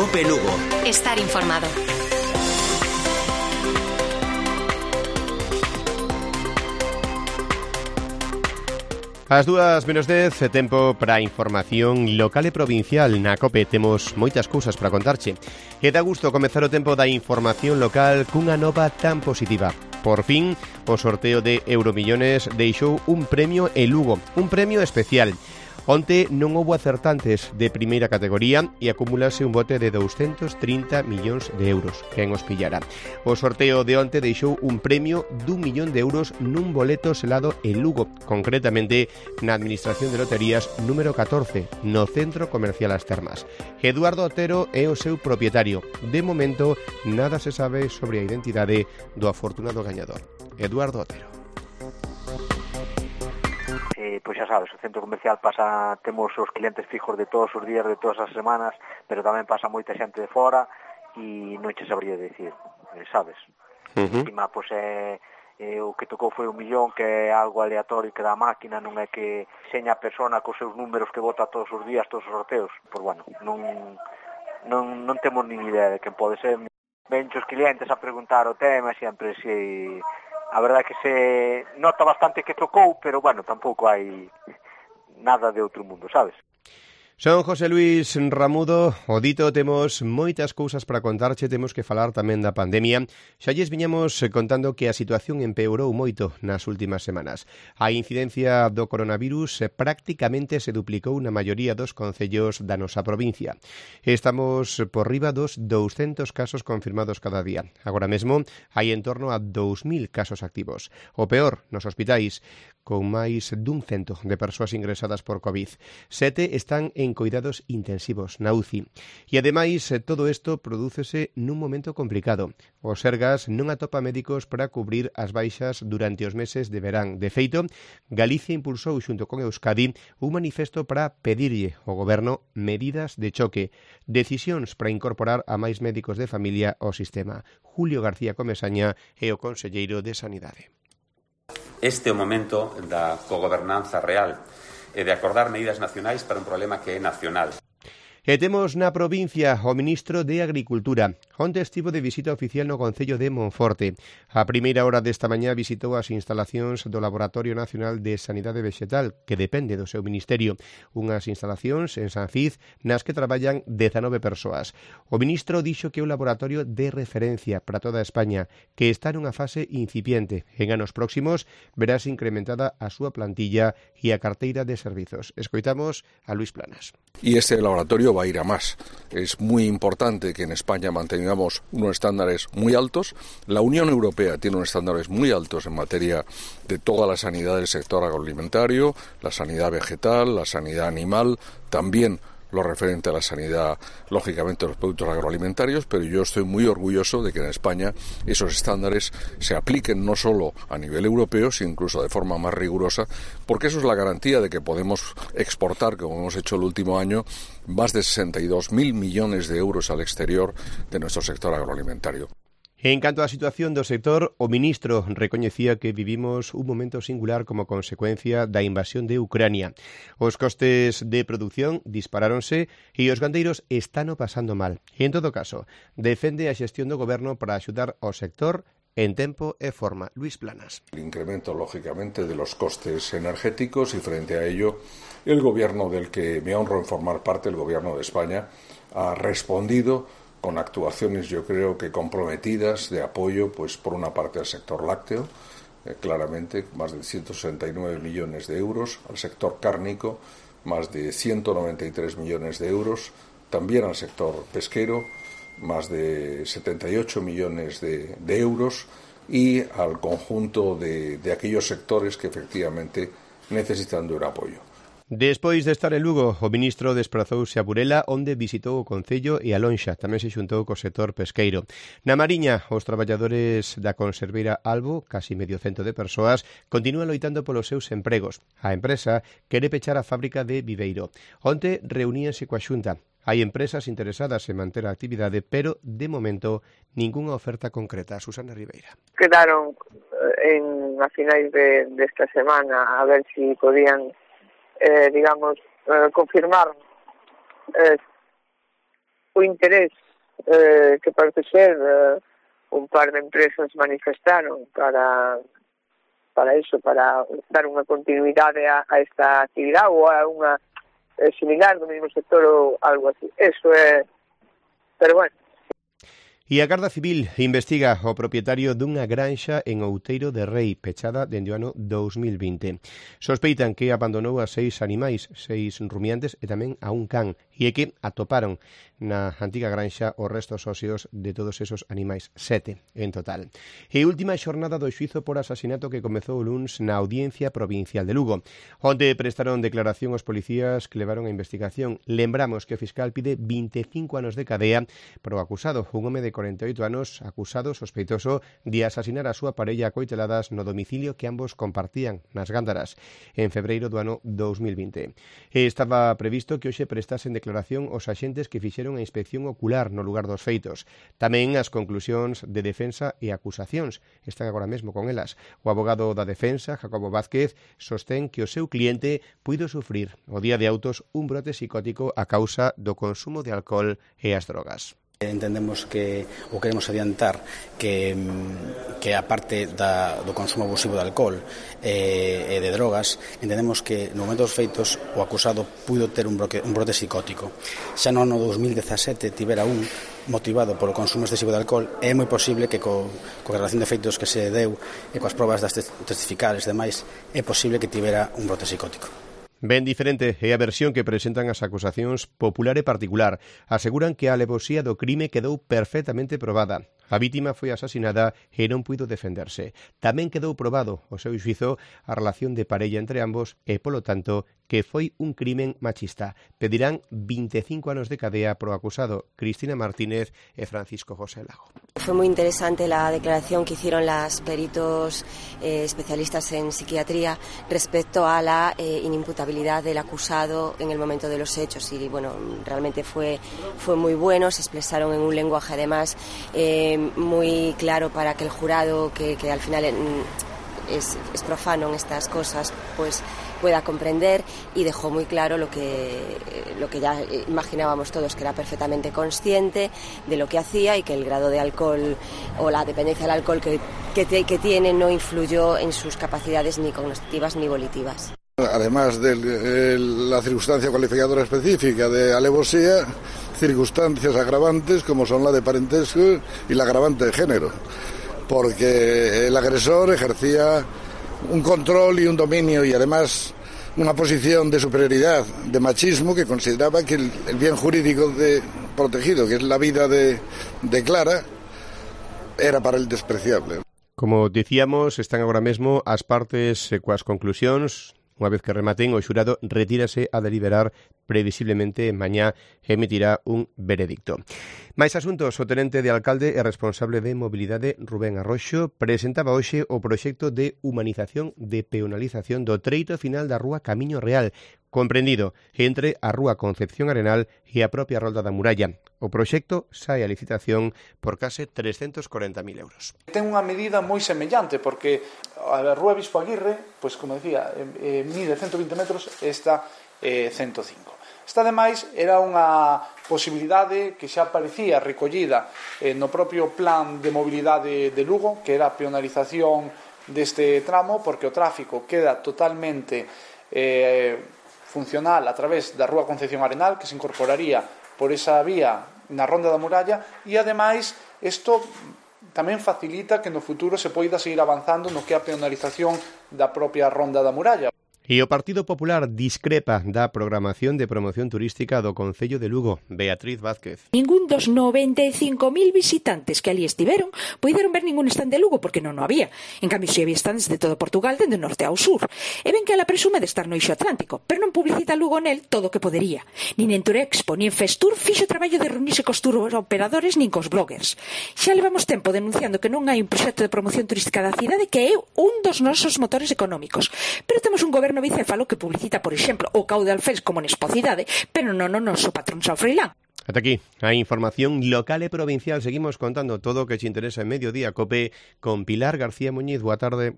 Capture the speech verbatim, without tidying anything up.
Cope Lugo. Estar informado. As dúas menos dez, tempo para a información local e provincial. Na COPE temos moitas cousas para contarche. E dá gusto comezar o tempo da información local cunha nova tan positiva. Por fin, o sorteo de Euromillones deixou un premio en Lugo, un premio especial. Onte non houbo acertantes de primeira categoría e acumulase un bote de douscentos trinta millóns de euros. Quen os pillara? O sorteo de onte deixou un premio dun millón de euros nun boleto selado en Lugo, concretamente na Administración de Loterías número catorce, no Centro Comercial As Termas. Eduardo Otero é o seu propietario. De momento, nada se sabe sobre a identidade do afortunado gañador. Eduardo Otero. Eh, pois xa sabes, o centro comercial pasa, temos os clientes fijos de todos os días, de todas as semanas, pero tamén pasa moita xente de fora e non che sabría dicir, eh, sabes? Uh-huh. Encima, pois é, eh, o que tocou foi un millón, que é algo aleatorio que dá a máquina, non é que seña a persona cos seus números que vota todos os días, todos os sorteos. Pois bueno, non, non, non temos nin idea de quen pode ser. Ven os clientes a preguntar o tema, sempre se... A verdade é que se nota bastante que tocou, pero, bueno, tampouco hai nada de outro mundo, sabes? Son José Luis Ramudo, o dito, temos moitas cousas para contarche, temos que falar tamén da pandemia. Xa lles viñamos contando que a situación empeorou moito nas últimas semanas. A incidencia do coronavirus prácticamente se duplicou na maioría dos concellos da nosa provincia. Estamos por riba dos douscentos casos confirmados cada día. Agora mesmo hai en torno a dous mil casos activos. O peor, nos hospitais, con máis dun cento de persoas ingresadas por COVID. Sete están en cuidados intensivos na U C I. E ademais, todo isto prodúcese nun momento complicado. O Sergas non atopa médicos para cubrir as baixas durante os meses de verán. De feito, Galicia impulsou xunto con Euskadi un manifesto para pedirlle ao goberno medidas de choque, decisións para incorporar a máis médicos de familia ao sistema. Julio García Comesaña é o conselleiro de Sanidade. Este é o momento da cogobernanza real e de acordar medidas nacionais para un problema que é nacional. E temos na provincia o ministro de Agricultura. Onte estivo de visita oficial no concello de Monforte. A primeira hora desta mañá visitou as instalacións do Laboratorio Nacional de Sanidade Vexetal, que depende do seu ministerio. Unhas instalacións en San Cid nas que traballan dezanove persoas. O ministro dixo que é un laboratorio de referencia para toda España, que está nunha fase incipiente. En anos próximos verás incrementada a súa plantilla e a carteira de servizos. Escoitamos a Luis Planas. Y este laboratorio va a ir a más. Es muy importante que en España mantengamos unos estándares muy altos. La Unión Europea tiene unos estándares muy altos en materia de toda la sanidad del sector agroalimentario, la sanidad vegetal, la sanidad animal, también lo referente a la sanidad, lógicamente, de los productos agroalimentarios, pero yo estoy muy orgulloso de que en España esos estándares se apliquen no solo a nivel europeo, sino incluso de forma más rigurosa, porque eso es la garantía de que podemos exportar, como hemos hecho el último año, más de sesenta y dos mil millones de euros al exterior de nuestro sector agroalimentario. En canto á situación do sector, o ministro recoñecía que vivimos un momento singular como consecuencia da invasión de Ucrania. Os costes de produción disparáronse e os gandeiros están o pasando mal. E, en todo caso, defende a xestión do goberno para axudar ao sector en tempo e forma. Luis Planas. El incremento, lógicamente, de los costes energéticos y frente a ello, el gobierno del que me honro en formar parte, el gobierno de España, ha respondido con actuaciones, yo creo que comprometidas, de apoyo, pues por una parte al sector lácteo, eh, claramente más de ciento sesenta y nueve millones de euros, al sector cárnico, más de ciento noventa y tres millones de euros, también al sector pesquero, más de setenta y ocho millones de, de euros, y al conjunto de, de aquellos sectores que efectivamente necesitan de un apoyo. Despois de estar en Lugo, o ministro desprazouse a Burela, onde visitou o Concello e a Lonxa. Tamén se xuntou co sector pesqueiro. Na Mariña, os traballadores da conserveira Albo, casi medio cento de persoas, continúan loitando polos seus empregos. A empresa quere pechar a fábrica de Viveiro. Onte reuníanse coa Xunta. Hai empresas interesadas en manter a actividade, pero, de momento, ningunha oferta concreta. Susana Ribeira. Quedaron en, a finais de, de esta semana a ver si podían Eh, digamos, eh, confirmar eh, o interés eh, que parece ser eh, un par de empresas manifestaron para para eso, para dar unha continuidade a, a esta actividade ou a unha eh, similar do mesmo sector ou algo así. Eso é, pero bueno. E a Garda Civil investiga o propietario dunha granxa en Outeiro de Rei, pechada dende o ano dous mil vinte. Sospeitan que abandonou a seis animais, seis rumiantes e tamén a un can, e é que atoparon na antiga granxa os restos óseos de todos esos animais, sete en total. E última xornada do xuizo por asasinato que comezou o luns na Audiencia Provincial de Lugo, onde prestaron declaración os policías que levaron a investigación. Lembramos que o fiscal pide vinte e cinco anos de cadea para o acusado, un home de cuarenta e oito anos, acusado sospeitoso de asasinar a súa parella a coiteladas no domicilio que ambos compartían nas Gándaras en febreiro do ano dous mil vinte. E estaba previsto que hoxe prestasen declaración os axentes que fixeron a inspección ocular no lugar dos feitos. Tamén as conclusións de defensa e acusacións están agora mesmo con elas. O abogado da defensa, Jacobo Vázquez, sostén que o seu cliente puido sufrir o día de autos un brote psicótico a causa do consumo de alcohol e as drogas. Entendemos que, ou queremos adiantar que, que a parte da, do consumo abusivo de alcohol e, e de drogas, entendemos que no momento dos feitos o acusado puido ter un, broque, un brote psicótico. Xa no ano dous mil dezasete tivera un motivado polo consumo excesivo de alcohol, e é moi posible que co, co relación de feitos que se deu e coas probas das testificales e demais, é posible que tivera un brote psicótico. Ben diferente é a versión que presentan as acusacións popular e particular. Aseguran que a alevosía do crime quedou perfectamente probada. A vítima foi asasinada e non puido defenderse. Tamén quedou probado o seu xuizo a relación de parella entre ambos e, polo tanto, que foi un crimen machista. Pedirán vinte e cinco anos de cadea pro acusado Cristina Martínez e Francisco José Lago. Fue muy interesante la declaración que hicieron las peritos eh, especialistas en psiquiatría respecto a la eh, inimputabilidad del acusado en el momento de los hechos, y bueno, realmente fue, fue muy bueno. Se expresaron en un lenguaje además eh, muy claro para que el jurado, que, que al final es, es profano en estas cosas, pues pueda comprender, y dejó muy claro lo que, lo que ya imaginábamos todos, que era perfectamente consciente de lo que hacía y que el grado de alcohol o la dependencia del alcohol que, que, te, que tiene no influyó en sus capacidades ni cognitivas ni volitivas. Además de el, la circunstancia calificadora específica de alevosía, circunstancias agravantes como son la de parentesco y la agravante de género, porque el agresor ejercía un control y un dominio y además una posición de superioridad, de machismo, que consideraba que el, el bien jurídico de, protegido, que es la vida de, de Clara, era para él despreciable. Como dicíamos, están agora mesmo as partes coas conclusións. Unha vez que rematen, o xurado retírase a deliberar previsiblemente mañá emitirá un veredicto. Mais asuntos, o tenente de alcalde e responsable de mobilidade Rubén Arroxo presentaba hoxe o proxecto de humanización de peonalización do treito final da rúa Camiño Real, comprendido entre a rúa Concepción Arenal e a propia Rolda da Muralla. O proxecto sae a licitación por case trescentos corenta mil euros. Ten unha medida moi semellante, porque a rúa Bispo Aguirre, pois como decía, eh, mide ciento vinte metros, esta eh, ciento cinco. Esta, ademais, era unha posibilidade que xa aparecía recollida eh, no propio plan de mobilidade de Lugo, que era a peonalización deste tramo, porque o tráfico queda totalmente eh, funcional a través da rúa Concepción Arenal, que se incorporaría por esa vía na Ronda da Muralla, e ademais isto tamén facilita que no futuro se poida seguir avanzando no que é a peonalización da propia Ronda da Muralla. E o Partido Popular discrepa da programación de promoción turística do Concello de Lugo. Beatriz Vázquez. Ningún dos noventa e cinco mil visitantes que ali estiveron puideron ver ningún stand de Lugo, porque non o había. En cambio, si había stands de todo Portugal, dende norte ao sur. E ven que ela presume de estar no eixo atlántico, pero non publicita Lugo nel todo o que podería. Nin en Turexpo, nin en Festur fixo o traballo de reunirse cos tour operadores nin cos bloggers. Xa levamos tempo denunciando que non hai un proxecto de promoción turística da cidade, que é un dos nosos motores económicos. Pero temos un goberno bicéfalo que publicita, por exemplo, o Caudal Fest como nespocidade, pero non o noso patrón San Freilán. Ata aquí a información local e provincial. Seguimos contando todo o que te interesa en Mediodía Cope con Pilar García Muñiz. Boa tarde.